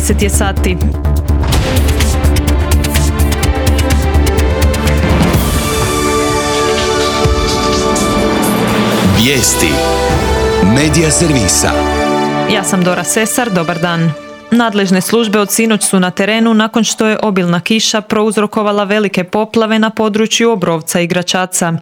10 je sati. Vijesti Medija servisa. Ja sam Dora Sesar, dobar dan. Nadležne službe od sinoć su na terenu nakon što je obilna kiša prouzrokovala velike poplave na području Obrovca i Gračaca.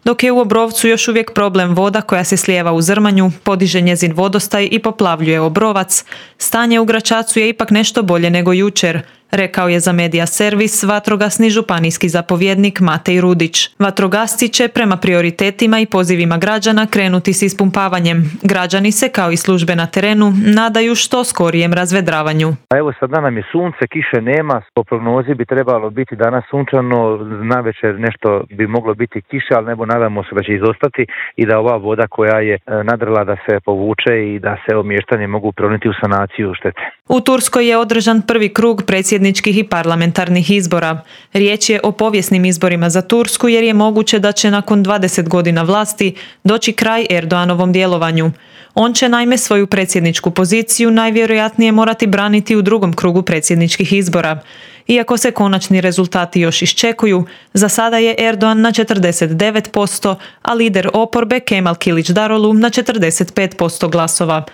Dok je u Obrovcu još uvijek problem voda koja se slijeva u Zrmanju, podiže njezin vodostaj i poplavljuje Obrovac, stanje u Gračacu je ipak nešto bolje nego jučer, rekao je za Medija servis vatrogasni županijski zapovjednik Matej Rudić. Vatrogasci će prema prioritetima i pozivima građana krenuti s ispumpavanjem. Građani se, kao i službe na terenu, nadaju što skorijem razvedravanju. Evo sada nam je sunce, kiše nema, po prognozi bi trebalo biti danas sunčano, navečer nešto bi moglo biti kiše, ali nebo nadamo se da će izostati i da ova voda koja je nadrla da se povuče i da se mještani mogu prioniti u sanaciju štete. U Turskoj je održan prvi krug predsjedničkih i parlamentarnih izbora. Riječ je o povijesnim izborima za Tursku jer je moguće da će nakon 20 godina vlasti doći kraj Erdoganovom djelovanju. On će naime svoju predsjedničku poziciju najvjerojatnije morati braniti u drugom krugu predsjedničkih izbora. Iako se konačni rezultati još iščekuju, za sada je Erdogan na 49%, a lider oporbe Kemal Kilić-Darolu na 45% glasova.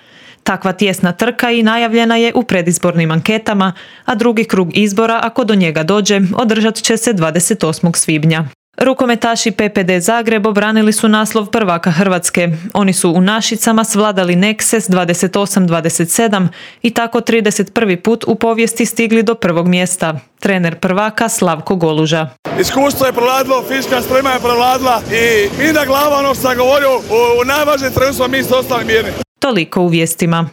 Takva tijesna trka i najavljena je u predizbornim anketama, a drugi krug izbora, ako do njega dođe, održat će se 28. svibnja. Rukometaši PPD Zagreb obranili su naslov prvaka Hrvatske. Oni su u Našicama svladali Nekses 28-27 i tako 31. put u povijesti stigli do prvog mjesta. Trener prvaka Slavko Goluža. Iskustvo je prevladilo, fizička sprema je prevladila i mi na glava, ono što sam govorio, u najvažnijem trenutku mi ste ostali mirni. Toliko u vijestima.